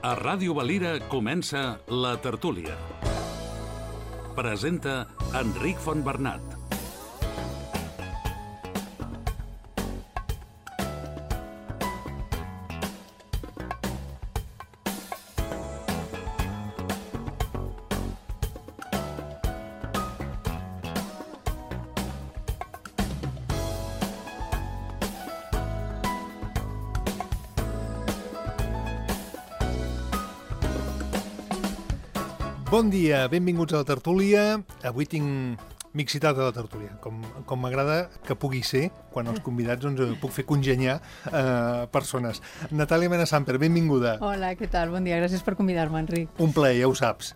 A Ràdio Valira comença La Tertúlia. Presenta Enric Fontbernat. Bon dia, benvinguts a la tertúlia. Avui tinc mixitat a la tertúlia, com m'agrada que pugui ser quan els convidats puc fer congeniar persones. Natàlia Mena-Samper, benvinguda. Hola, què tal? Bon dia, gràcies per convidar-me, Enric. Un plaer, ja ho saps.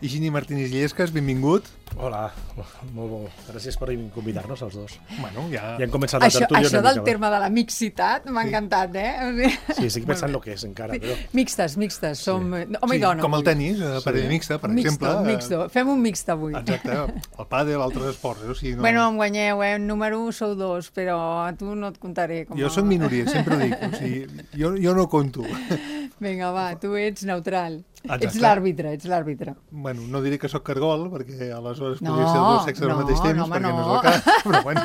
Higini Martínez Illescas, benvingut. Hola, molt bo. Gràcies per convidar-nos els dos. Bueno, ja hem començat la tertúlia Això del terme de la mixitat m'ha encantat, Sí, estic pensant el que és encara. Però... Mixtes, som home i dona. Com el tenis, parella mixta, per exemple. Mixto. Fem un mixt avui. Exacte, el pàdel, altres esports. Bueno, em guanyeu, número 1 sou 2, però a tu no et contaré. Jo soc minoria, sempre ho dic. Jo no conto. Vinga, va, tu ets neutral. Exacte. Ets l'àrbitre. Bueno, no diré que sóc cargol, perquè aleshores podria ser els dos sexes al mateix temps, perquè no és el cas, però bueno,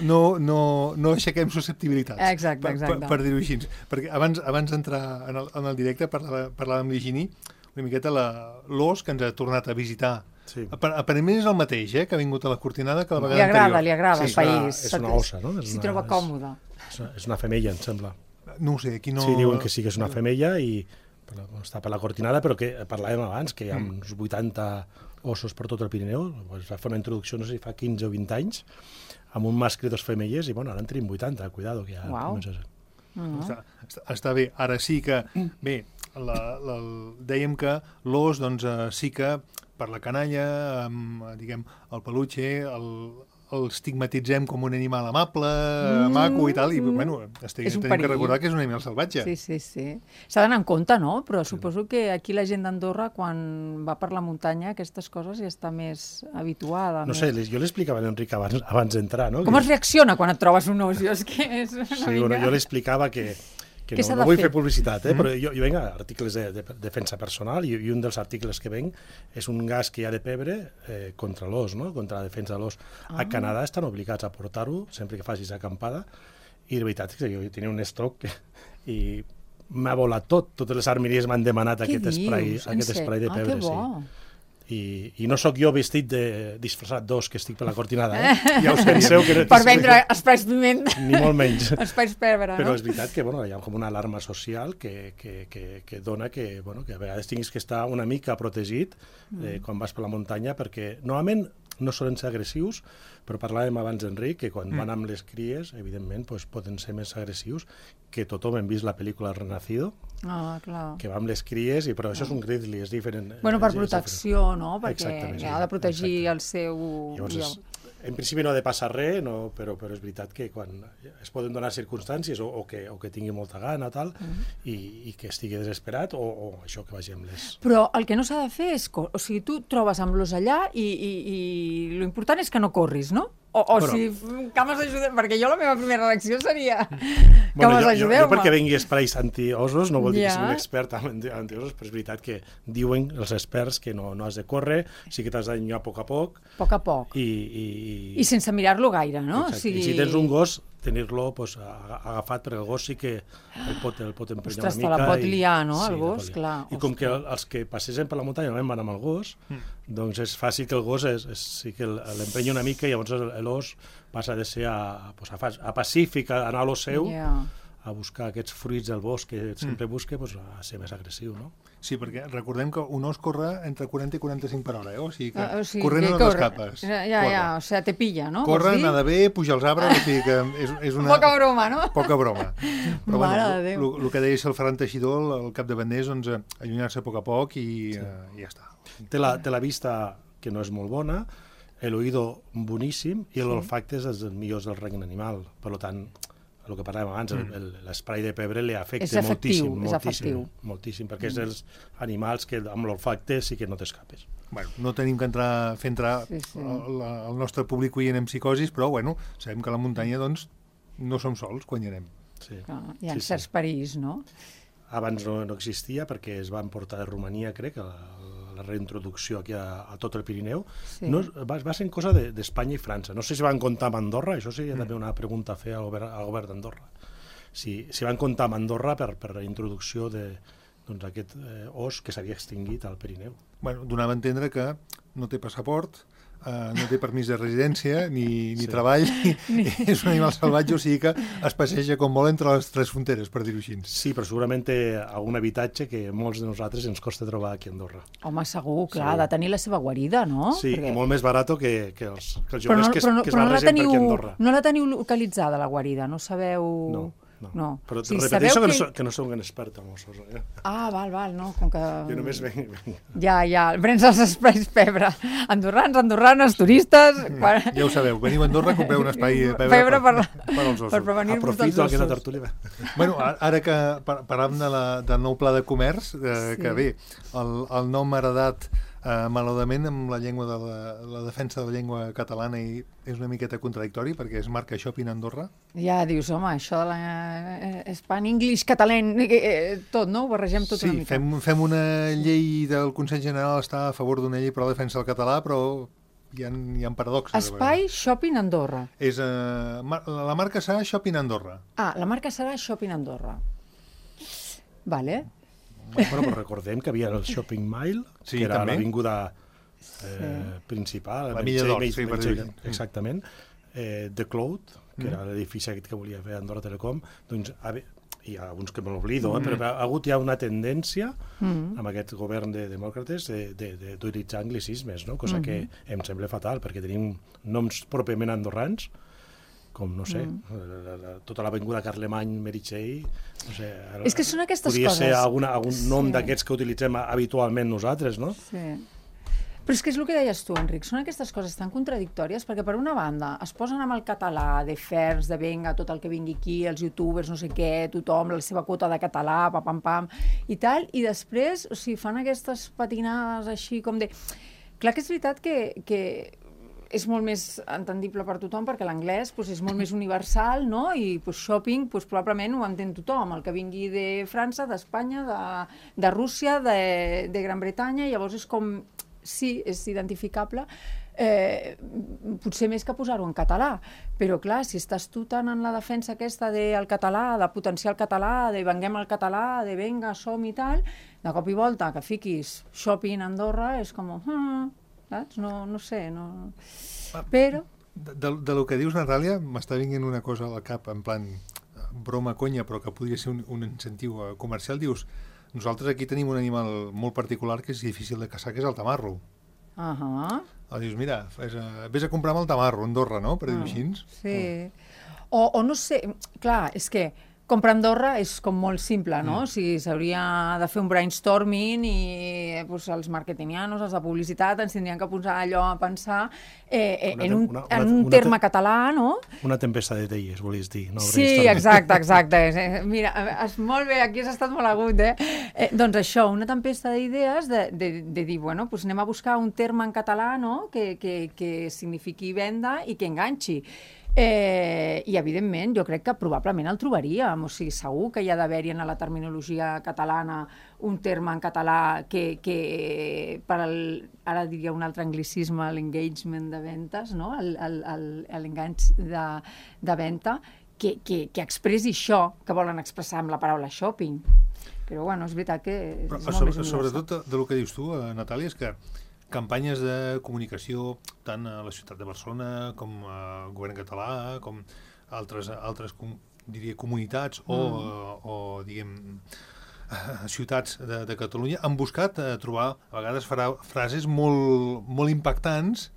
no aixequem susceptibilitats. Exacte. Per dir-ho així. Perquè abans d'entrar en el directe parlàvem amb l'Higini una miqueta l'os que ens ha tornat a visitar. Sí. Aparentment és el mateix, que ha vingut a la Cortinada que la vegada anterior. Li agrada el país. És una ossa, no? S'hi troba còmode. És una femella, em sembla. No ho sé, aquí no... Sí, diuen que sí que és una femella i està per la Cortinada, però que parlàvem abans, que hi ha uns 80 ossos per tot el Pirineu. Es va fer una introducció, no sé si fa 15 o 20 anys, amb un mascle i dos femelles, i bueno, ara en tenim 80, cuidado, que ja comença a ser. Està bé. Ara sí que... Bé, dèiem que l'os, doncs, sí que per la canalla, diguem, el peluche, el estigmatitzem com un animal amable, maco i tal, i bueno, tenim que recordar que és un animal salvatge. Sí. S'ha d'anar en compte, no? Però suposo que aquí la gent d'Andorra, quan va per la muntanya, aquestes coses ja està més habituada. No sé, jo l'explicava a l'Enric abans d'entrar, no? Com es reacciona quan et trobes un os? Jo l'explicava que no vull fer publicitat, però jo venc a articles de defensa personal i un dels articles que venc és un gas que hi ha de pebre contra l'os, no? Contra la defensa de l'os. A Canadà estan obligats a portar-ho sempre que facis acampada i la veritat és que jo tenia un estoc i m'ha volat tot. Totes les armeries m'han demanat aquest spray de pebre. Que bo! I no sóc jo vestit disfressat d'os que estic per la Cortinada, ja ho penseu que no per vendre espais piment. Ni molt menys. Espais pebre, però no? és veritat que hi ha com una alarma social que dona que a vegades tinguis que estar una mica protegit quan vas per la muntanya, perquè normalment no solen ser agressius, però parlàvem abans, Enric, que quan van amb les cries, evidentment, poden ser més agressius, que tothom hem vist la pel·lícula El Renacido, que va amb les cries, però això és un grizzly, és diferent. Bueno, per protecció, no? Perquè ha de protegir el seu... Llavors, en principi no ha de passar res, però és veritat que quan es poden donar circumstàncies o que tingui molta gana i que estigui desesperat o això que vagi amb les... Però el que no s'ha de fer és... O sigui, tu trobes amb l'os allà i l'important és que no corris, no? Que m'ajudeu, perquè jo la meva primera reacció seria que m'ajudeu. Jo perquè vengui esprais antiosos no vol dir que sigui un expert en antiosos, però és veritat que diuen els experts que no has de córrer, sí que t'has d'allunyar a poc a poc. Poc a poc. I sense mirar-lo gaire, no? I si tens un gos, tenir-lo agafat, perquè el gos sí que el pot emprenyar una mica. Ostres, te la pot liar, no, el gos? Clar. I com que els que passegen per la muntanya normalment van amb el gos, doncs és fàcil que el gos sí que l'emprenya una mica i llavors l'os passa de ser a pacífic, a anar a lo seu, a buscar aquests fruits del bosc que sempre busca, a ser més agressiu, no? Sí, perquè recordem que un os corre entre 40 i 45 per hora, o sigui que corrent no t'escapes. O sigui, te pilla, no? Corre, anar bé, pujar als arbres, o sigui que és una... Poca broma, no? Poca broma. Però bueno, el que deia el Ferran Teixidor, el capdavantner, és allunyar-se a poc i ja està. Té la vista que no és molt bona, l'oïdo boníssim i l'olfacte és dels millors del regne animal. Per tant, el que parlàvem abans, l'esprai de pebre li afecta moltíssim, perquè és dels animals que amb l'olfacte sí que no t'escapes. Bueno, no tenim que fer entrar el nostre públic oient en psicosis, però bueno, sabem que a la muntanya doncs no som sols quan hi anem. Hi ha certs perills, no? abans no existia perquè es van portar de Romania, crec, la reintroducció aquí a tot el Pirineu. Sí. No, va ser cosa d'Espanya i França. No sé si van comptar amb Andorra, això seria també una pregunta a fer al govern d'Andorra. Si van comptar amb Andorra per la introducció d'aquest os que s'havia extingit al Pirineu. Bueno, donava a entendre que no té passaport, no té permís de residència ni treball, és un animal salvatge, o sigui que es passeja com vol entre les tres fronteres, per dir-ho així. Sí, però segurament té algun habitatge que molts de nosaltres ens costa trobar aquí a Andorra. Home, segur, clar, ha de tenir la seva guarida, no? Sí, perquè... molt més barat que els joves que es barregen per aquí a Andorra. No la teniu localitzada, la guarida? No sabeu... No. Però repeteixo que no sóc un expert en ossos. Ah, val, no, com que... Jo només venc. Ja, prens els espais pebre. Andorranes, turistes... Ja ho sabeu, veniu a Andorra, compreu un espai pebre per als ossos. Per prevenir-vos dels ossos. Aprofito aquesta tertúlia. Bueno, ara que parlàvem del nou pla de comerç, que bé, el nom heredat malauradament amb la llengua de la defensa de la llengua catalana i és una miqueta contradictori perquè es marca Shopping Andorra. Ja dius, home, això de l'Espan, English, català, tot, no? Ho barregem tot una mica. Sí, fem una llei del Consell General, està a favor d'una llei per la defensa del català, però hi ha paradoxes. Espai Shopping Andorra. La marca serà Shopping Andorra. Ah, la marca serà Shopping Andorra. Vale. Bueno, però recordem que havia el Shopping Mile, que era l'avinguda principal, la Milla d'Or, exactament, The Cloud, que era l'edifici que volia fer Andorra Telecom, doncs hi ha alguns que me l'oblido, però ha hagut ja una tendència amb aquest govern de demòcrates d'utilitzar anglicismes, no? Cosa que em sembla fatal, perquè tenim noms pròpiament andorrans, com, no sé, tota l'avinguda Carlemany, Meritxell, no sé... És que són aquestes podria coses. Podria ser algun nom d'aquests que utilitzem habitualment nosaltres, no? Sí. Però és que és el que deies tu, Enric, són aquestes coses tan contradictòries, perquè per una banda es posen amb el català, de fers, de venga, tot el que vingui aquí, els youtubers, no sé què, tothom, la seva quota de català, pam, i tal, i després, o sigui, fan aquestes patinades així com de... Clar que és veritat que és molt més entendible per tothom perquè l'anglès és molt més universal, no? I shopping probablement ho entén tothom, el que vingui de França, d'Espanya, de Rússia, de Gran Bretanya, llavors és com, sí, és identificable, potser més que posar-ho en català, però clar, si estàs tu tant en la defensa aquesta del català, de potenciar el català, de venguem el català, de venga, som i tal, de cop i volta que fiquis Shopping Andorra és com... saps? No sé, no... Però... De lo que dius, Natàlia, m'està vinguent una cosa al cap, en plan broma, conya, però que podria ser un incentiu comercial. Dius, nosaltres aquí tenim un animal molt particular que és difícil de caçar, que és el tamarro. Dius, mira, vés a comprar amb el tamarro, a Andorra, no?, per dir-ho així. Sí. O no sé, clar, és que comprar a Andorra és com molt simple, no? O sigui, s'hauria de fer un brainstorming i els marketingianos, els de publicitat, ens tindrien que posar allò a pensar en un terme català, no? Una tempesta d'idees, volies dir. Sí, exacte. Mira, molt bé, aquí has estat molt agut, Doncs això, una tempesta d'idees de dir, bueno, anem a buscar un terme en català, no?, que signifiqui venda i que enganxi. I evidentment jo crec que probablement el trobaríem, o sigui, segur que hi ha d'haver-hi en la terminologia catalana un terme en català que per ara diria un altre anglicisme, l'engagement de ventes, no? L'enganx de venda que expressi això que volen expressar amb la paraula shopping. Però bueno, és veritat que és molt més universal. Sobretot del que dius tu, Natàlia, és que campanyes de comunicació tant a la ciutat de Barcelona com al govern català, com altres diria, comunitats o diguem, ciutats de Catalunya han buscat trobar a vegades frases molt impactants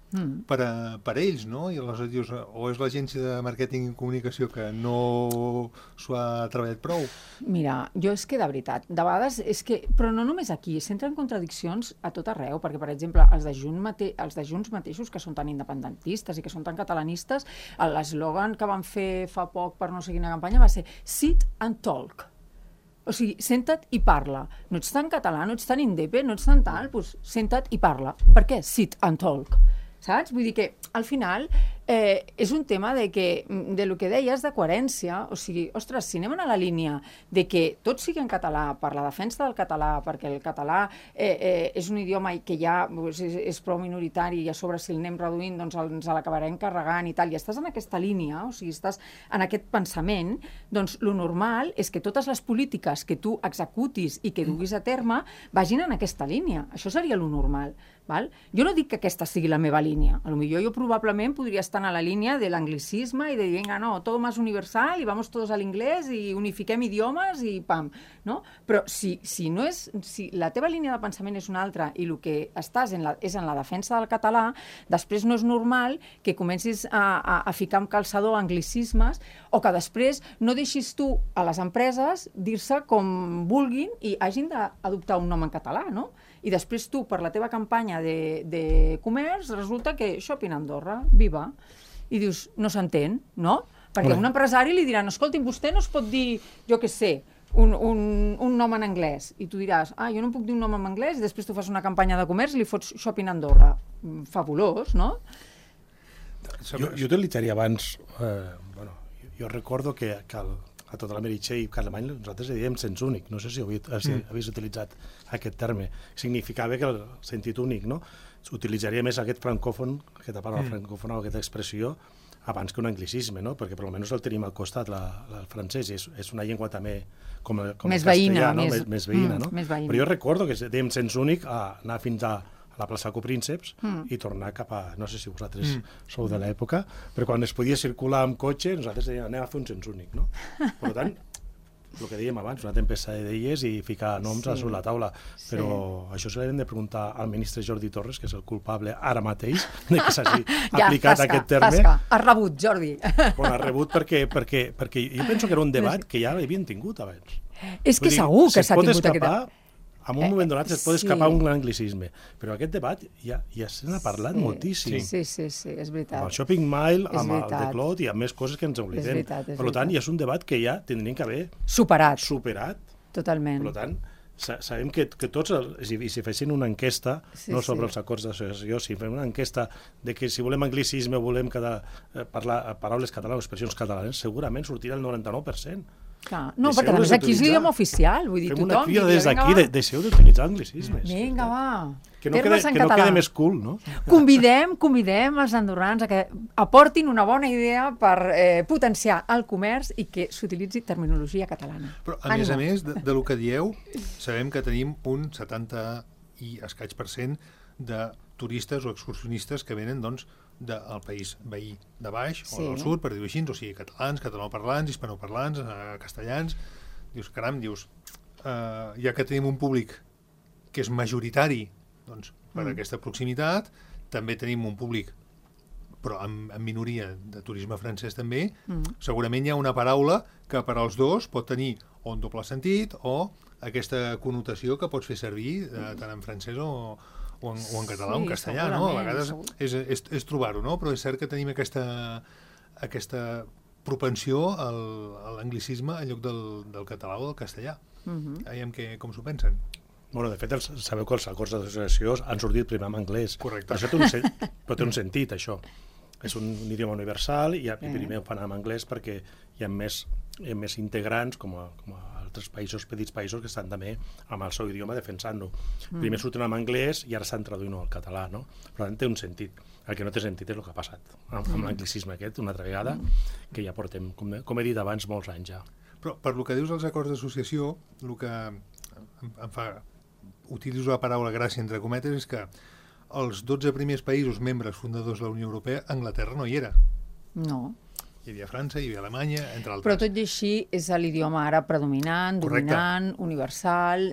per a ells, no? I aleshores dius, o és l'agència de màrqueting i comunicació que no s'ho ha treballat prou? Mira, jo és que de veritat, de vegades és que, però no només aquí, s'entren contradiccions a tot arreu, perquè per exemple els de Junts mateixos que són tan independentistes i que són tan catalanistes, l'eslògan que van fer fa poc per no sé quina campanya va ser Sit and Talk. O sigui, senta't i parla. No ets tan català, no ets tan indepe, no ets tan tal, doncs senta't i parla. Per què? Sit and talk. Saps? Vull dir que, al final, és un tema de lo que deies de coherència, o sigui, ostres, si anem a la línia de que tot sigui en català, per la defensa del català, perquè el català és un idioma que ja és prou minoritari i a sobre si el anem reduint doncs ens l'acabarem carregant i tal, i estàs en aquesta línia, o sigui, estàs en aquest pensament, doncs lo normal és que totes les polítiques que tu executis i que duguis a terme vagin en aquesta línia. Això seria lo normal. Val? Jo no dic que aquesta sigui la meva línia. A lo millor jo probablement podria estar a la línia de l'anglicisme i de dir, vinga, no, todo más universal i vamos todos a l'inglès i unifiquem idiomes i pam. No? Però si la teva línia de pensament és una altra i el que estàs és en la defensa del català, després no és normal que comencis a ficar amb calçador anglicismes o que després no deixis tu a les empreses dir-se com vulguin i hagin d'adoptar un nom en català, no? I després tu, per la teva campanya de comerç, resulta que Shopping Andorra, viva. I dius, no s'entén, no? Perquè un empresari li diran, escolti'm, vostè no es pot dir, jo què sé, un nom en anglès. I tu diràs, jo no puc dir un nom en anglès, i després tu fas una campanya de comerç i li fots Shopping Andorra. Fabulós, no? Jo utilitzaria abans, jo recordo que a tota la Meritxell i Carlemany nosaltres dèiem sens únic, no sé si havies utilitzat aquest terme, significava que el sentit únic, no? Utilitzaria més aquest francòfon, aquesta paraula francòfona o aquesta expressió abans que un anglicisme, no? Perquè per almenys el tenim al costat, el francès, és una llengua també com el castellà, més veïna, no? Però jo recordo que dèiem sens únic anar fins a la plaça Coprínceps i tornar cap a... No sé si vosaltres sou de l'època, però quan es podia circular amb cotxe, nosaltres dèiem, anem a fer un sens únic, no? Per tant, el que dèiem abans, una tempesta d'idees i ficar noms sobre la taula, però això se l'hem de preguntar al ministre Jordi Torres, que és el culpable ara mateix de que s'hagi aplicat aquest terme. Has rebut, Jordi. Bueno, has rebut perquè jo penso que era un debat que ja l'havien tingut abans. És que segur que s'ha tingut aquest debat. En un moment donat es pot escapar un anglicisme, però aquest debat ja se n'ha parlat moltíssim. Sí, és veritat. Amb el Shopping Mile, amb el The Clot i amb més coses que ens oblidem. Per tant, ja és un debat que ja tindrien que haver superat. Totalment. Per tant, sabem que tots, si fessin una enquesta, no sobre els acords d'associació, si fem una enquesta de que si volem anglicisme o volem parlar paraules catalanes o expressions catalanes, segurament sortirà el 99%. No, perquè a més aquí és l'idioma oficial, vull dir, tothom... Fem una crida des d'aquí, deixeu d'utilitzar anglicismes. Vinga, va. Que no quede més cool, no? Convidem els andorrans a que aportin una bona idea per potenciar el comerç i que s'utilitzi terminologia catalana. Però, a més, del que dieu, sabem que tenim un 70 i escaig % de turistes o excursionistes que venen, doncs, del país veí de baix o del sud, per dir-ho així, o sigui, catalans, catalanoparlants, hispanoparlants, castellans. Dius, caram, ja que tenim un públic que és majoritari doncs, per aquesta proximitat, també tenim un públic, però en minoria de turisme francès també, segurament hi ha una paraula que per als dos pot tenir o un doble sentit o aquesta connotació que pots fer servir tant en francès o en català o en castellà, no? A vegades és trobar-ho, no? Però és cert que tenim aquesta propensió a l'anglicisme en lloc del català o del castellà. Veiem com s'ho pensen. Bueno, de fet, sabeu que els acords d'associació han sortit primer en anglès. Correcte. Però té un sentit, això. És un idioma universal i primer ho fan en anglès perquè hi ha més integrants com a altres països, petits països, que estan també amb el seu idioma defensant-lo. Primer surten en anglès i ara estan traduint al català, no? Per tant, té un sentit. El que no té sentit és el que ha passat amb l'anglicisme aquest, una altra vegada, que ja portem, com he dit abans, molts anys ja. Però per lo que dius dels acords d'associació, el que em fa... utilitzo la paraula gràcia entre cometes, és que els 12 primers països membres fundadors de la Unió Europea, Anglaterra no hi era. No. Hi havia França, hi havia Alemanya, entre altres. Però tot i així és l'idioma ara predominant, dominant, universal,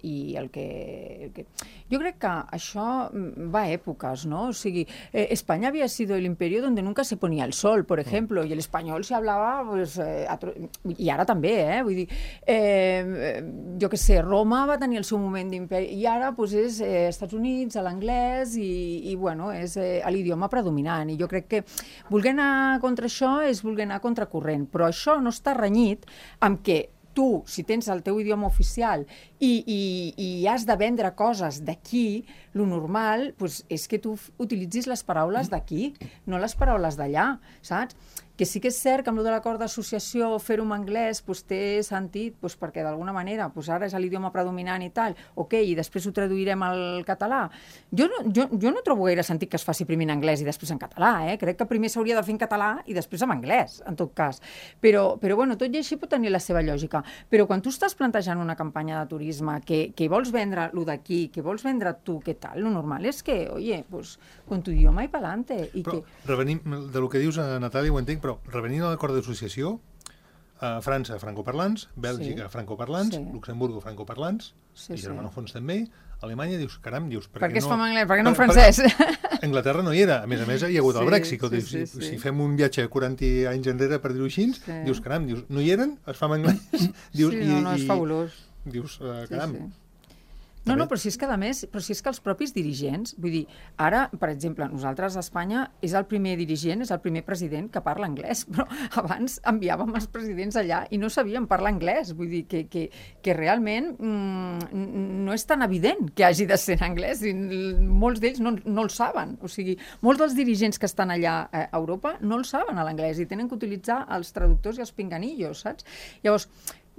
i el que... Jo crec que això va a èpoques, ¿no? O sigui, España había sido el imperio donde nunca se ponía el sol, por ejemplo, y el español se hablaba, pues, i ara també, vull dir, jo què sé, Roma va tenir el seu moment d'imperi, i ara pues, és Estats Units, l'anglès, i bueno, és l'idioma predominant, i jo crec que voler anar contra això és voler anar contra corrent, però això no està renyit amb que tu, si tens el teu idioma oficial i has de vendre coses d'aquí, lo normal és que tu utilitzis les paraules d'aquí, no les paraules d'allà, saps? Que sí que és cert que amb de l'acord d'associació fer-ho en anglès té sentit perquè d'alguna manera ara és l'idioma predominant i tal, ok, i després ho traduirem al català. Jo no trobo gaire sentit que es faci primer en anglès i després en català, crec que primer s'hauria de fer en català i després en anglès, en tot cas. Però bueno, tot i així pot tenir la seva lògica. Però quan tu estàs plantejant una campanya de turisme que vols vendre lo d'aquí, que vols vendre tu, què tal, lo normal és que, oye, con tu idioma i pa'lante. Però revenim del que dius, Natàlia, ho entenc, però revenint a l'acord d'associació, França, francoparlants, Bèlgica, francoparlants, Luxemburgo, francoparlants, i germanòfons també, Alemanya, dius, caram, per què es fa en anglès, per què no en francès? Anglaterra no hi era, a més hi ha hagut el Brexit, si fem un viatge 40 anys enrere, per dir-ho així, dius, caram, no hi eren, es fa en anglès. Sí, no, és fabulós. Dius, caram. No, però si és que a més, que els propis dirigents, vull dir, ara, per exemple, nosaltres a Espanya és el primer dirigent, és el primer president que parla anglès, però abans enviàvem els presidents allà i no sabien parlar anglès, vull dir que realment no és tan evident que hagi de ser en anglès, i molts d'ells no el saben, o sigui, molts dels dirigents que estan allà a Europa no el saben a l'anglès i tenen que utilitzar els traductors i els pinganillos, saps? Llavors,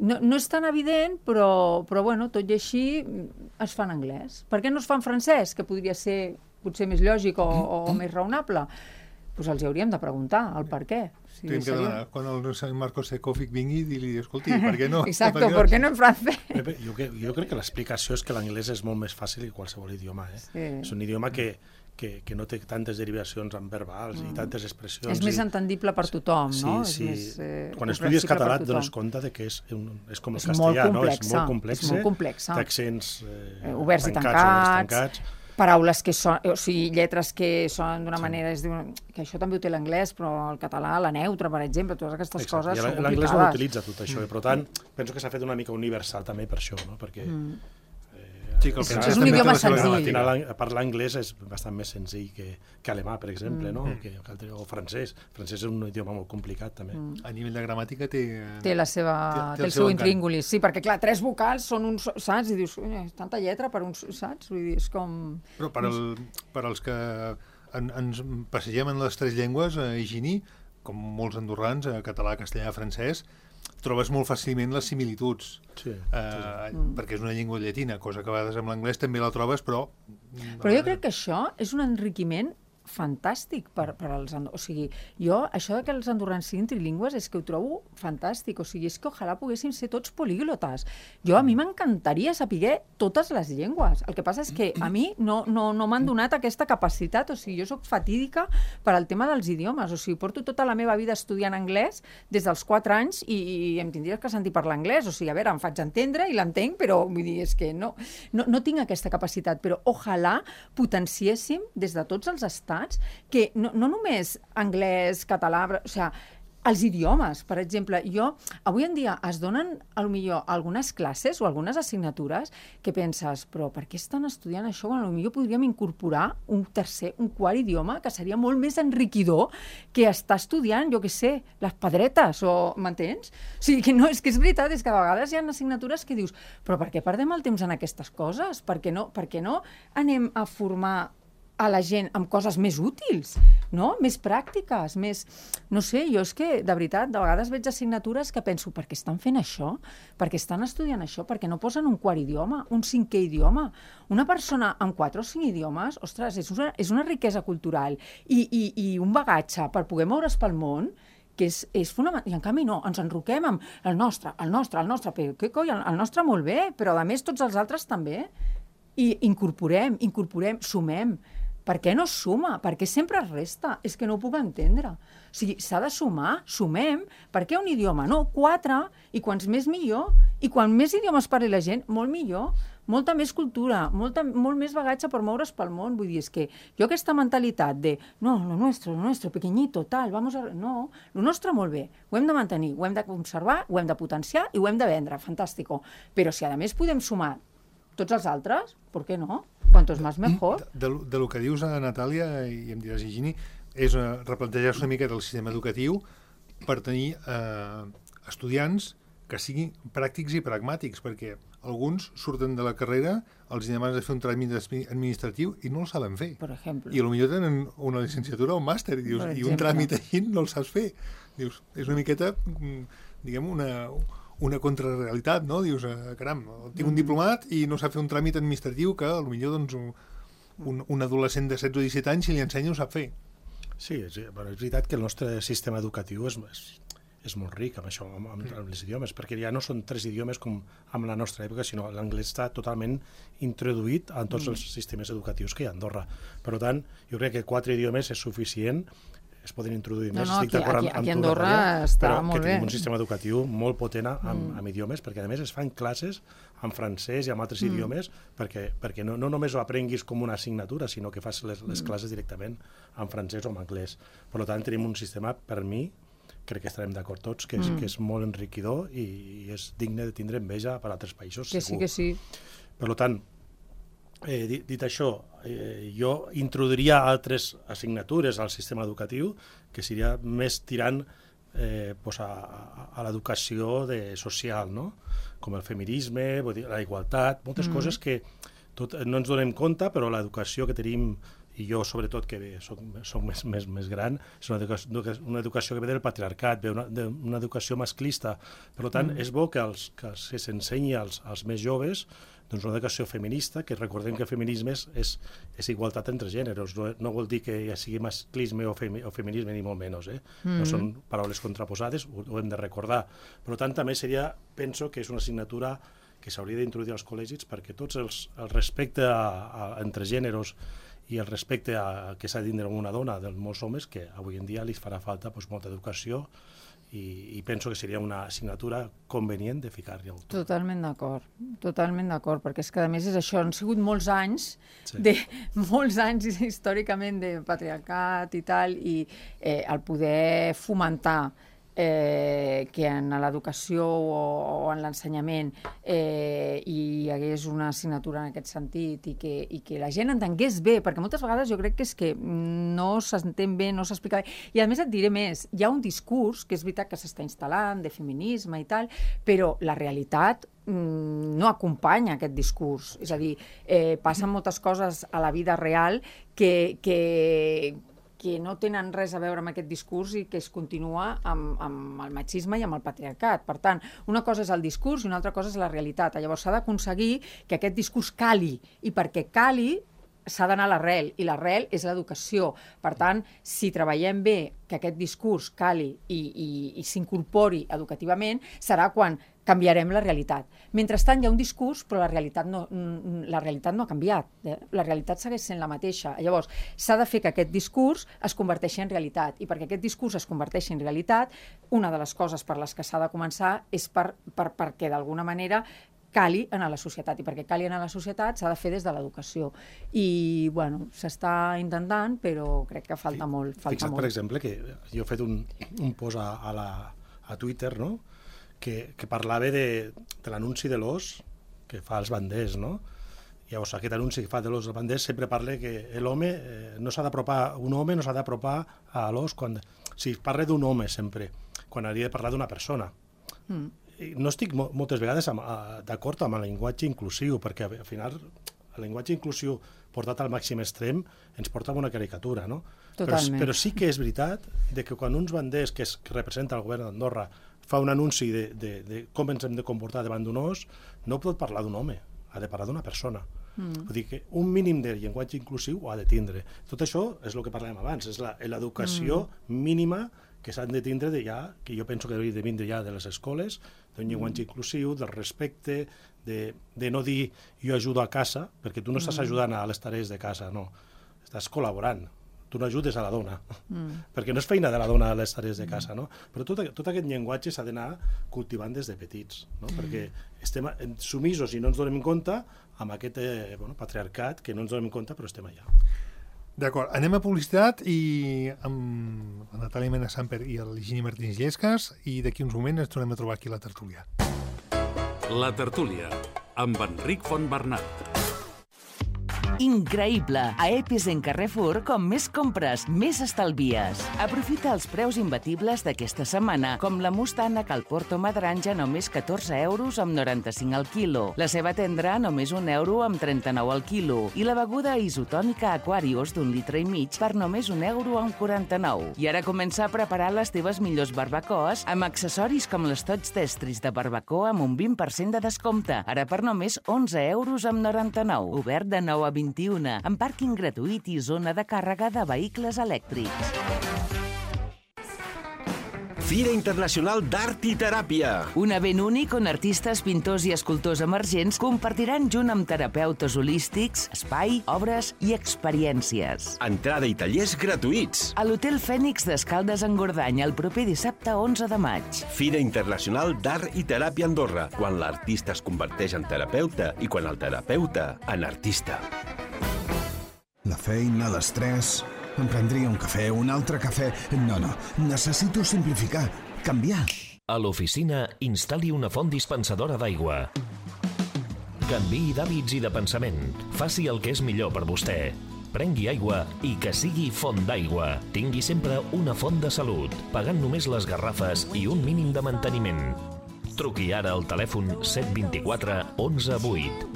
no és tan evident, però bueno, tot i així es fa en anglès. Per què no es fa en francès, que podria ser potser més lògic o més raonable? Doncs els hauríem de preguntar el per què. Tenim que demanar, quan el Marcos Sekovic vingui, dir-li, escolti, per què no? Exacte, per què no en francès? Jo crec que l'explicació és que l'anglès és molt més fàcil que qualsevol idioma. És un idioma que no té tantes derivacions en verbals i tantes expressions. És més entendible per tothom, no? Sí. Quan estudies català et dones compte que és com el castellà, no? És molt complex. D'accents oberts i tancats, paraules que són, o sigui, lletres que són d'una manera, que això també ho té l'anglès, però el català, la neutra, per exemple, totes aquestes coses són complicades. L'anglès no utilitza tot això, per tant, penso que s'ha fet una mica universal també per això, no? Perquè és un idioma senzill. Parlar anglès és bastant més senzill que alemà, per exemple, o francès. Francès és un idioma molt complicat, també. A nivell de gramàtica té el seu intríngulis. Sí, perquè, clar, 3 vocals són uns, saps? I dius, tanta lletra per uns, saps? Vull dir, és com... Però per als que ens passegem en les 3 llengües, Higini, com molts andorrans, català, castellà, francès, trobes molt fàcilment les similituds, perquè és una llengua llatina, cosa que a vegades amb l'anglès també la trobes, però... Però jo crec que això és un enriquiment fantàstic per als andorrans. O sigui, jo, això que els andorrans siguin trilingües és que ho trobo fantàstic. O sigui, és que ojalà poguéssim ser tots políglotes. A mi m'encantaria saber totes les llengües. El que passa és que a mi no m'han donat aquesta capacitat. O sigui, jo sóc fatídica per al tema dels idiomes. O sigui, porto tota la meva vida estudiant anglès des dels 4 anys i em tindries que sentir parlar anglès. O sigui, a veure, em faig entendre i l'entenc, però vull dir, és que no tinc aquesta capacitat. Però ojalà potenciéssim des de tots els estats que no només anglès, català, o sigui, els idiomes, per exemple. Avui en dia es donen, potser, algunes classes o algunes assignatures que penses, però per què estan estudiant això quan potser podríem incorporar un tercer, un quart idioma que seria molt més enriquidor que estar estudiant, jo què sé, les pedretes, m'entens? O sigui, que no, és que és veritat, és que a vegades hi ha assignatures que dius, però per què perdem el temps en aquestes coses? Per què no anem a formar a la gent amb coses més útils, no? Més pràctiques, més... No sé, jo és que, de veritat, de vegades veig assignatures que penso, per què estan fent això? Per què estan estudiant això? Per què no posen un quart idioma, un 5è idioma? Una persona amb 4 o 5 idiomes, ostres, és una riquesa cultural i un bagatge per poder moure's pel món que és fonamental. I en canvi no, ens enroquem amb el nostre, però què coi, el nostre molt bé, però a més tots els altres també. I incorporem, sumem. Per què no es suma? Per què sempre es resta? És que no ho puc entendre. O sigui, s'ha de sumar, sumem. Per què un idioma? No, 4, i quants més millor. I quan més idiomes parli la gent, molt millor. Molta més cultura, molt més bagatge per moure's pel món. Vull dir, és que jo aquesta mentalitat de no, lo nuestro, pequeñito, tal, vamos a... No, lo nostre molt bé, ho hem de mantenir, ho hem de conservar, ho hem de potenciar i ho hem de vendre, fantàstico. Però si a més podem sumar tots els altres, per què no? Quantos más mejor. De lo que dius, Natàlia, i em diràs, Higini, és replantejar-se una mica del sistema educatiu per tenir estudiants que siguin pràctics i pragmàtics, perquè alguns surten de la carrera, els demanes de fer un tràmit administratiu i no el saben fer. Per exemple. I potser tenen una llicenciatura o un màster i dius, i un tràmit així no el saps fer. Dius, és una miqueta, diguem, una contrarrealitat, no? Dius, caram, tinc un diplomat i no sap fer un tràmit administratiu que potser doncs, un adolescent de 16 o 17 anys, si li ensenya, ho sap fer. Sí, és veritat que el nostre sistema educatiu és molt ric amb això, amb els idiomes, perquè ja no són 3 idiomes com en la nostra època, sinó l'anglès està totalment introduït en tots els sistemes educatius que hi ha a Andorra. Per tant, jo crec que 4 idiomes és suficient, es poden introduir més, estic d'acord amb tu, Andorra està molt bé. Però que tenim un sistema educatiu molt potent amb idiomes, perquè a més es fan classes en francès i en altres idiomes, perquè no només ho aprenguis com una assignatura, sinó que fas les classes directament en francès o en anglès. Per tant, tenim un sistema, per mi, crec que estarem d'acord tots, que és molt enriquidor i és digne de tindre enveja per a altres països, segur. Que sí. Per tant, dit això, jo introduiria altres assignatures al sistema educatiu que seria més tirant a l'educació social, no? Com el feminisme, la igualtat, moltes coses que no ens donem compte, però l'educació que tenim, i jo sobretot que soc més gran, és una educació que ve del patriarcat, ve d'una educació masclista. Per tant, és bo que s'ensenyi als més joves doncs una educació feminista, que recordem que el feminisme és igualtat entre gèneres, no vol dir que ja sigui masclisme o feminisme, ni molt menys. No són paraules contraposades, ho hem de recordar. Per tant, també penso que és una assignatura que s'hauria d'introduir als col·legis perquè tots el respecte entre gèneres i el respecte que s'ha de tindre una dona de molts homes, que avui en dia li farà falta molta educació i penso que seria una assignatura convenient de ficar-hi. Totalment d'acord, perquè és que a més és això, han sigut molts anys, històricament de patriarcat i tal, i el poder fomentar que en l'educació o en l'ensenyament hi hagués una assignatura en aquest sentit i que la gent entengués bé, perquè moltes vegades jo crec que és que no s'entén bé, no s'explica bé. I a més et diré més, hi ha un discurs que és veritat que s'està instal·lant de feminisme i tal, però la realitat no acompanya aquest discurs. És a dir, passen moltes coses a la vida real que no tenen res a veure amb aquest discurs i que es continua amb el machisme i amb el patriarcat. Per tant, una cosa és el discurs i una altra cosa és la realitat. Llavors s'ha d'aconseguir que aquest discurs cali, i perquè cali s'ha d'anar a l'arrel, i l'arrel és l'educació. Per tant, si treballem bé que aquest discurs cali i s'incorpori educativament, serà quan canviarem la realitat. Mentrestant hi ha un discurs, però la realitat no ha canviat. La realitat segueix sent la mateixa. Llavors, s'ha de fer que aquest discurs es converteixi en realitat. I perquè aquest discurs es converteixi en realitat, una de les coses per les que s'ha de començar és perquè d'alguna manera cali en la societat. I perquè cali en la societat s'ha de fer des de l'educació. I, bueno, s'està intentant, però crec que falta molt. Fixa't, per exemple, que jo he fet un post a Twitter, no?, que parlava de l'anunci de l'os que fa els banders, no? Llavors, aquest anunci que fa de l'os dels banders sempre parla que l'home no s'ha d'apropar, un home no s'ha d'apropar a l'os quan... Si parla d'un home sempre, quan hauria de parlar d'una persona. No estic moltes vegades d'acord amb el llenguatge inclusiu, perquè al final el llenguatge inclusiu portat al màxim extrem ens porta a una caricatura, no? Però sí que és veritat que quan uns banders que representa el govern d'Andorra fa un anunci de com ens hem de comportar davant d'un os, no pot parlar d'un home, ha de parlar d'una persona. Vull dir que un mínim de llenguatge inclusiu ho ha de tindre. Tot això és el que parlàvem abans, és l'educació mínima que s'han de tindre que jo penso que hauria de vindre ja de les escoles, d'un llenguatge inclusiu, del respecte, de no dir jo ajudo a casa, perquè tu no estàs ajudant a les tarees de casa, no, estàs col·laborant. Tu no ajudes a la dona, perquè no és feina de la dona a les tarees de casa, no? Però tot aquest llenguatge s'ha d'anar cultivant des de petits, no? Perquè estem sumisos i no ens donem compte amb aquest patriarcat que no ens donem compte, però estem allà. D'acord, anem a publicitat i amb la Natàlia Mena Samper i el Gini Martínez Llescas, i d'aquí uns moments ens tornem a trobar aquí a la tertúlia. La tertúlia, amb Enric Fontbernat. increïble. A Epicent Carrefour, com més compres, més estalvies. Aprofita els preus imbatibles d'aquesta setmana, com la mostana Calporto Madranja, només 14 euros amb 95 al quilo. La ceba tendra, només 1 euro amb 39 al quilo. I la beguda isotònica Aquarius d'1,5 litres per només 1 euro amb 49. I ara comença a preparar les teves millors barbacoes amb accessoris com les tots d'estris de barbacoa amb un 20% de descompte. Ara per només 11 euros amb 99. Obert de 9 a 21, amb pàrquing gratuït i zona de càrrega de vehicles elèctrics. Fira Internacional d'Art i Teràpia. Un event únic on artistes, pintors i escultors emergents compartiran junt amb terapeutes holístics, espai, obres i experiències. Entrada i tallers gratuïts. A l'Hotel Fènix d'Escaldes en Gordany el proper dissabte 11 de maig. Fira Internacional d'Art i Teràpia Andorra, quan l'artista es converteix en terapeuta i quan el terapeuta en artista. La feina, l'estrès... Em prendria un cafè, un altre cafè... No, necessito simplificar, canviar. A l'oficina, instal·li una font dispensadora d'aigua. Canviï d'hàbits i de pensament. Faci el que és millor per vostè. Prengui aigua i que sigui font d'aigua. Tingui sempre una font de salut, pagant només les garrafes i un mínim de manteniment. Truqui ara al telèfon 724 11 8.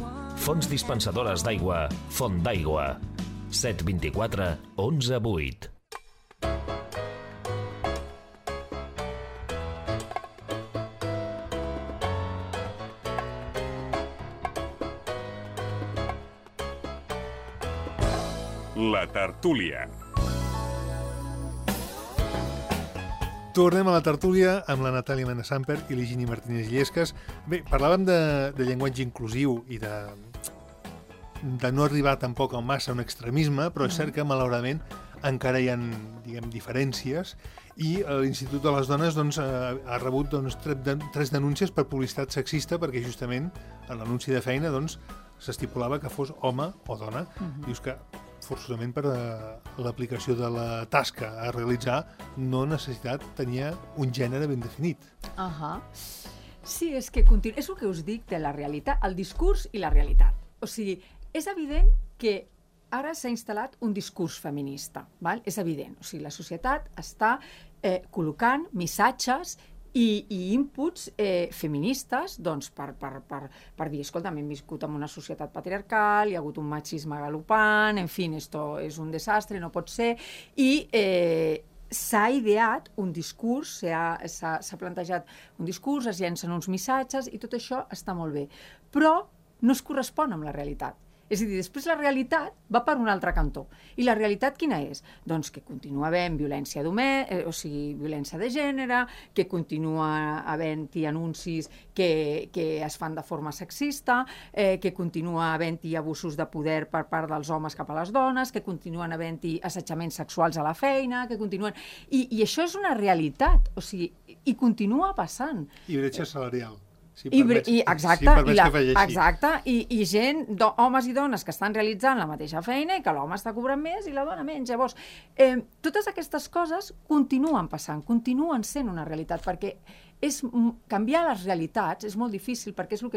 Fonts dispensadores d'aigua, Font d'Aigua. 724 11 8. La tertúlia. Tornem a la tertúlia amb la Natàlia Mena-Samper i l'Higini Martínez Illescas. Bé, parlàvem de llenguatge inclusiu i de no arribar tampoc a massa a un extremisme, però és cert que, malauradament, encara hi ha, diguem, diferències i l'Institut de les Dones ha rebut 3 denúncies per publicitat sexista perquè justament en l'anunci de feina s'estipulava que fos home o dona. Dius que forçosament per l'aplicació de la tasca a realitzar no tenia un gènere ben definit. Sí, és que és el que us dic de la realitat, el discurs i la realitat. O sigui, és evident que ara s'ha instal·lat un discurs feminista, val? És evident. O sigui, la societat està col·locant missatges i inputs feministes per dir, escolta, hem viscut en una societat patriarcal, hi ha hagut un machisme galopant, en fi, esto és un desastre, no pot ser, i s'ha ideat un discurs, s'ha plantejat un discurs, es llencen uns missatges i tot això està molt bé, però no es correspon amb la realitat. És a dir, després la realitat va per un altre cantó. I la realitat quina és? Doncs que continua havent violència violència de gènere, que continua havent-hi anuncis que es fan de forma sexista, que continua havent-hi abusos de poder per part dels homes cap a les dones, que continuen havent-hi assetjaments sexuals a la feina, que continuen... I això és una realitat, o sigui, i continua passant. I bretxa salarial. Exacte, i gent, homes i dones que estan realitzant la mateixa feina i que l'home està cobrant més i la dona menys. Llavors, totes aquestes coses continuen passant, continuen sent una realitat, perquè canviar les realitats és molt difícil, perquè és el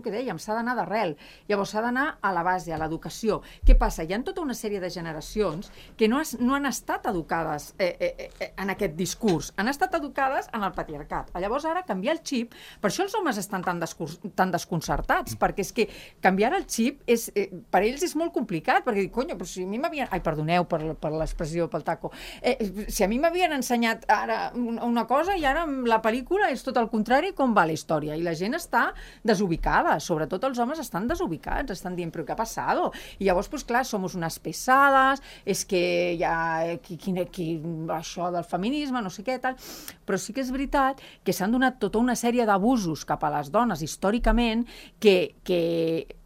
que dèiem, s'ha d'anar d'arrel. Llavors s'ha d'anar a la base, a l'educació. Què passa? Hi ha tota una sèrie de generacions que no han estat educades en aquest discurs, han estat educades en el patriarcat. Llavors ara canviar el xip, per això els homes estan tan desconcertats, perquè és que canviar el xip per ells és molt complicat, perquè dic, però si a mi m'havien... Ai, perdoneu per l'expressió, pel taco. Si a mi m'havien ensenyat ara una cosa i ara la pel·lícula és tot el contrari, com va la història, i la gent està desubicada, sobretot els homes estan desubicats, estan dient, però què ha passat? I llavors, doncs clar, somos unes pesades, és que hi ha això del feminisme, no sé què, tal, però sí que és veritat que s'han donat tota una sèrie d'abusos cap a les dones històricament que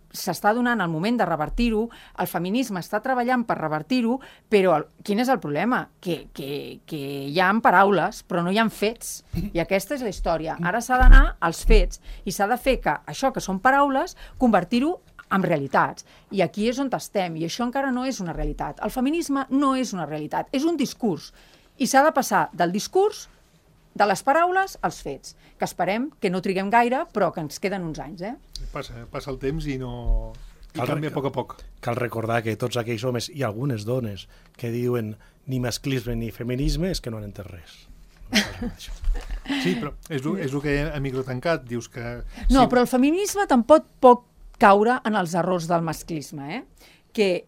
s'està donant el moment de revertir-ho, el feminisme està treballant per revertir-ho, però quin és el problema? Que hi ha paraules, però no hi ha fets, i aquesta és la història. Ara s'ha d'anar als fets, i s'ha de fer que això que són paraules, convertir-ho en realitats. I aquí és on estem, i això encara no és una realitat. El feminisme no és una realitat, és un discurs, i s'ha de passar del discurs, de les paraules als fets, que esperem que no triguem gaire, però que ens queden uns anys. Passa el temps i no I canvia a poc a poc. Cal recordar que tots aquells homes i algunes dones que diuen ni masclisme ni feminisme és que no han entès res. Sí, però és el que a microtancat dius que... No, però el feminisme tampoc pot caure en els errors del masclisme, que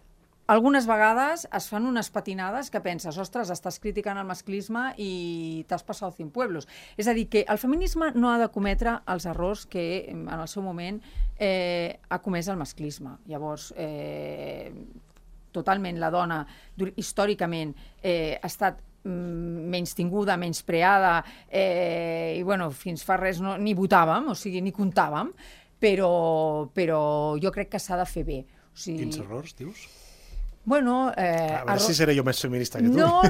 algunes vegades es fan unes patinades que penses, ostres, estàs criticant el masclisme i t'has passat 100 pueblos. És a dir, que el feminisme no ha de cometre els errors que en el seu moment ha comès el masclisme. Llavors, totalment la dona històricament ha estat menystinguda, menyspreada i bueno, fins fa res ni votàvem, o sigui, ni comptàvem, però jo crec que s'ha de fer bé. Quins errors, dius? Bueno, a veure si seré jo més feminista que tu. No.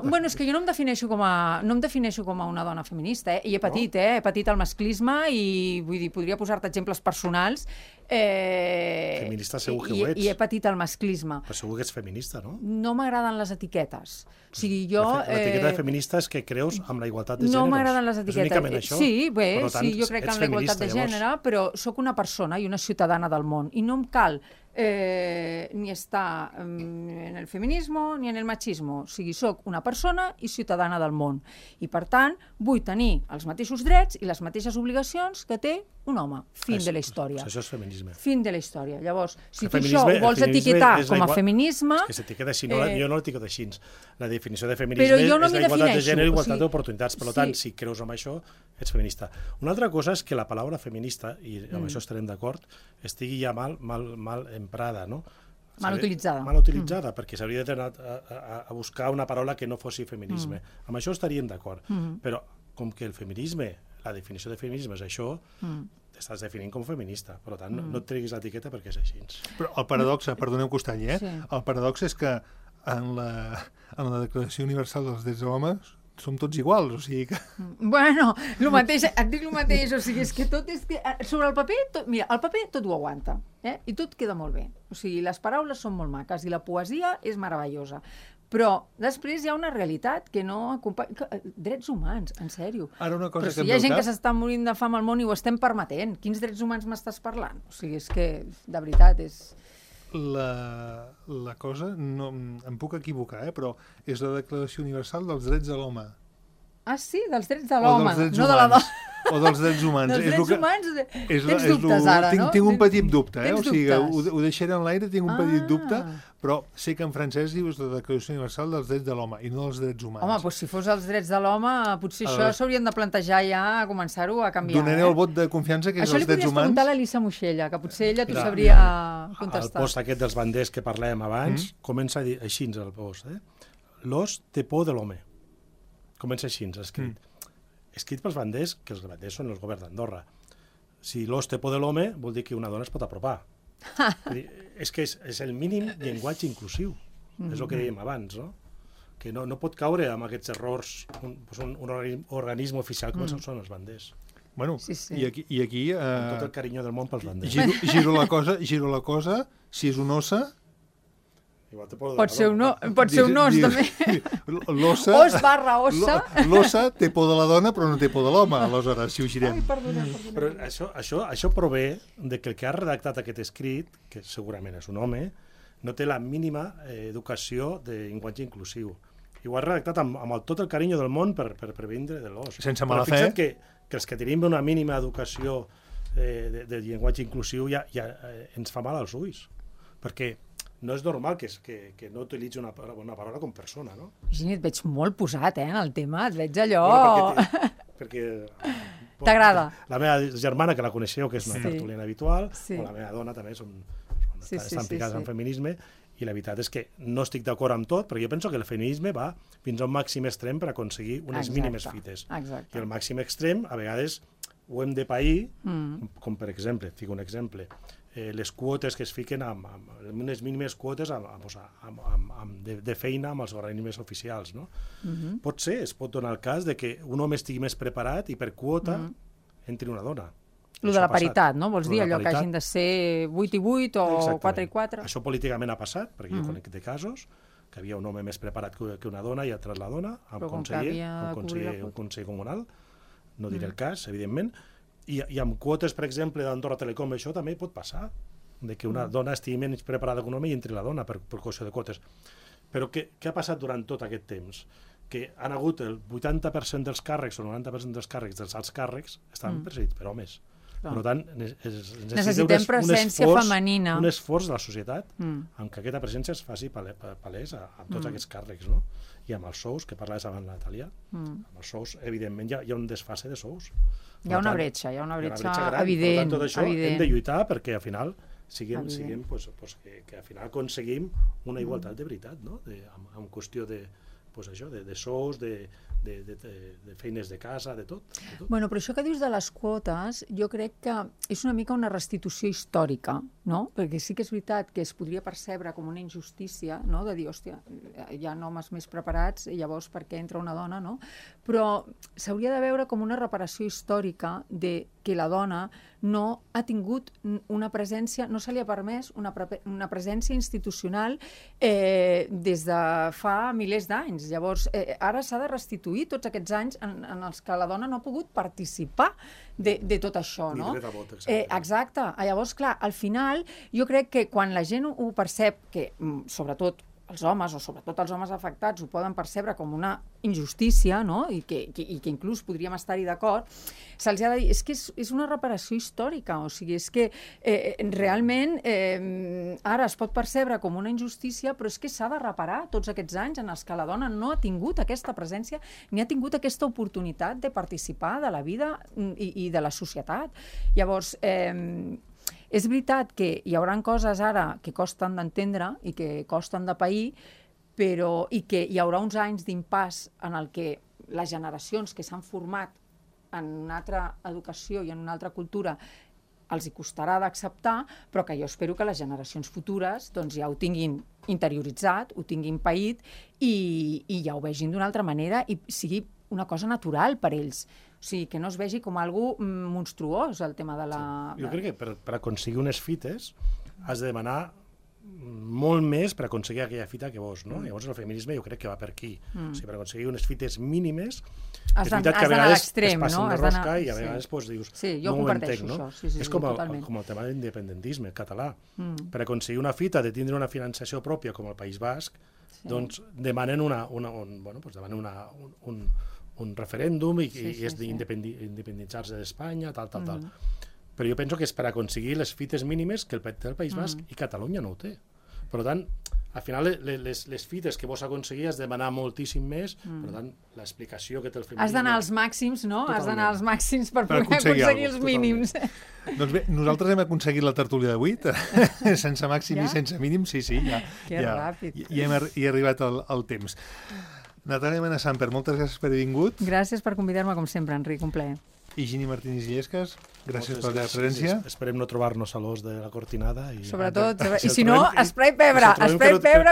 Bueno, és que jo no em defineixo com a una dona feminista, i he patit, he patit el masclisme i vull dir, podria posar-te exemples personals. Feminista segur que ho ets. I he patit el masclisme. Però segur que ets feminista, no? No m'agraden les etiquetes. O sigui, jo... L'etiqueta de feminista és que creus amb la igualtat de gèneres. No m'agraden les etiquetes. És únicament això? Sí, bé, sí, jo crec que amb la igualtat de gènere, però sóc una persona i una ciutadana del món, i no em cal ni estar en el feminisme ni en el machisme. O sigui, soc una persona i ciutadana del món. I, per tant, vull tenir els mateixos drets i les mateixes obligacions que té un home. Fin de la història. Això és feminisme. Fin de la història. Llavors, si tu això ho vols etiquetar com a feminisme... És que s'etiqueta així, jo no l'etiqueto així. La definició de feminisme és la igualtat de gènere i igualtat d'oportunitats. Per tant, si creus en això, ets feminista. Una altra cosa és que la paraula feminista, i amb això estarem d'acord, estigui ja mal emprada, no? Mal utilitzada. Mal utilitzada, perquè s'hauria d'anar a buscar una paraula que no fossi feminisme. Amb això estaríem d'acord. Però com que el feminisme, la definició de feminisme és això, t'estàs definint com feminista. Per tant, no et treguis l'etiqueta perquè és així. Però el paradox, perdoneu que us talli, el paradox és que en la Declaració Universal dels Drets de l'Home som tots iguals, o sigui que... Bueno, el mateix, et dic el mateix, o sigui, és que tot és que... Sobre el paper, mira, el paper tot ho aguanta, i tot queda molt bé. O sigui, les paraules són molt maques i la poesia és meravellosa. Però després hi ha una realitat que no acompanya... Drets humans, en sèrio. Ara una cosa però si hi ha gent que s'està morint de fam al món i ho estem permetent, quins drets humans m'estàs parlant? O sigui, és que, de veritat, és... La cosa, no, em puc equivocar, però és la Declaració Universal dels Drets de l'Home. Ah, sí? Dels drets de l'home, no de la dona. O dels drets humans. Dels drets humans tens dubtes ara, no? Tinc un petit dubte, o sigui, ho deixaré en l'aire, tinc un petit dubte, però sé que en francès dius la Declaració Universal dels Drets de l'Home i no dels drets humans. Home, doncs si fos els drets de l'home, potser això s'haurien de plantejar ja, a començar-ho a canviar. Donaré el vot de confiança que és els drets humans. Això li podries preguntar a l'Elisa Moixella, que potser ella t'ho sabria contestar. El post aquest dels banders que parlàvem abans comença a dir així el post. L'os té por de l'home. Comença així, escrit. Escrit pels banders, que els banders són els governs d'Andorra. Si l'os té por de l'home, vol dir que una dona es pot apropar. És que és el mínim llenguatge inclusiu. És el que dèiem abans, no? Que no pot caure amb aquests errors un organisme oficial com són els banders. Bueno, i aquí... Amb tot el carinyo del món pels banders. Giro la cosa, si és un ossa... Pot ser un os, també. Os barra ossa. L'ossa té por de la dona, però no té por de l'home, aleshores, si ho girem. Ai, perdona. Però això prové de que el que ha redactat aquest escrit, que segurament és un home, no té la mínima educació de llenguatge inclusiu. I ho ha redactat amb tot el carinyo del món per vindre de l'os. Sense mala fe. Però fixa't que els que tenim una mínima educació de llenguatge inclusiu ja ens fa mal als ulls. Perquè no és normal que no utilitzi una paraula com persona, no? Virginia, et veig molt posat, en el tema, et veig allò... Bueno, perquè t'agrada. La meva germana, que la coneixeu, que és una tertuliana habitual, o la meva dona també estan picades en feminisme, i la veritat és que no estic d'acord amb tot, perquè jo penso que el feminisme va fins a un màxim extrem per aconseguir unes mínimes fites. I el màxim extrem, a vegades, ho hem de pair, com per exemple, fico un exemple, les quotes que es fiquen amb unes mínimes quotes de feina amb els organismes oficials. No? Pot ser, es pot donar el cas de que un home estigui més preparat i per quota entri una dona. Lo de la paritat, no? Vols dir allò que hagin de ser 8 i 8 o 4 i 4? Això políticament ha passat, perquè jo conec de casos que havia un home més preparat que una dona i altres la dona, un conseller comunal, no diré el cas, evidentment, i amb quotes, per exemple, d'Andorra Telecom, això també pot passar. de que una dona estigui menys preparada que un home i entri la dona per qüestió de quotes. Però què ha passat durant tot aquest temps? Que han hagut el 80% dels càrrecs o el 90% dels càrrecs, dels alts càrrecs, estan presidits per homes. Per tant, necessitem presència femenina. Un esforç de la societat en què aquesta presència es faci palès amb tots aquests càrrecs, no? I amb els sous, que parlaves abans la Natàlia, amb els sous, evidentment, hi ha un desfase de sous. Hi ha una bretxa evident. Per tant, tot això hem de lluitar perquè al final siguem que al final aconseguim una igualtat de veritat, no? En qüestió de sous, de feines de casa, de tot. Bueno, però això que dius de les quotes, jo crec que és una mica una restitució històrica, no? Perquè sí que és veritat que es podria percebre com una injustícia, no? De dir, hòstia, hi ha homes més preparats, i llavors per què entra una dona, no? Però s'hauria de veure com una reparació històrica de que la dona no ha tingut una presència, no se li ha permès una presència institucional des de fa milers d'anys. Llavors, ara s'ha de restituir tots aquests anys en els que la dona no ha pogut participar de tot això, no? Ni dret a vot, exacte. Exacte. Llavors, clar, al final, jo crec que quan la gent ho percep, que sobretot els homes, o sobretot els homes afectats, ho poden percebre com una injustícia, no? I que inclús podríem estar-hi d'acord, se'ls ha de dir, és que és una reparació històrica, o sigui, és que realment ara es pot percebre com una injustícia, però és que s'ha de reparar tots aquests anys en els que la dona no ha tingut aquesta presència ni ha tingut aquesta oportunitat de participar de la vida i de la societat. Llavors, és veritat que hi haurà coses ara que costen d'entendre i que costen de pair, però i que hi haurà uns anys d'impàs en el que les generacions que s'han format en una altra educació i en una altra cultura els hi costarà d'acceptar, però que jo espero que les generacions futures doncs, ja ho tinguin interioritzat, ho tinguin paït i ja ho vegin d'una altra manera i sigui una cosa natural per ells. O sigui, que no es vegi com algo monstruós, el tema de la... Jo crec que per aconseguir unes fites has de demanar molt més per aconseguir aquella fita que vols, no? Llavors el feminisme jo crec que va per aquí. O sigui, per aconseguir unes fites mínimes, és veritat que a vegades es passen de rosca i a vegades dius, no ho entenc, no? És com el tema de l'independentisme català. Per aconseguir una fita de tindre una financiació pròpia com el País Basc, doncs demanen un referèndum i és d'independitzar-se d'Espanya, tal. Però jo penso que és per aconseguir les fites mínimes que el País Basc i Catalunya no ho té. Per tant, al final les fites que vols aconseguir has de demanar moltíssim més, per tant, l'explicació que té el feminisme... Has d'anar als màxims, no? Has d'anar als màxims per poder aconseguir els mínims. Doncs bé, nosaltres hem aconseguit la tertúlia d'avui, sense màxim i sense mínim, sí, ja. Que ràpid. I hem arribat al temps. Natàlia Mena-Samper, moltes gràcies per haver vingut. Gràcies per convidar-me, com sempre, Enric, un plaer. I Gini Martínez Illescas, gràcies per la teva presència. Esperem no trobar-nos a l'os de la cortinada. Sobretot, i si no, esprai pebre,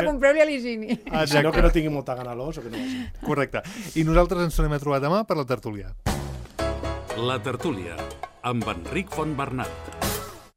compreu-li a l'Higini. Si no, que no tingui molta gana a l'os o que no vagi. Correcte. I nosaltres ens tornem a trobar demà per la tertúlia. La tertúlia, amb Enric Fontbernat.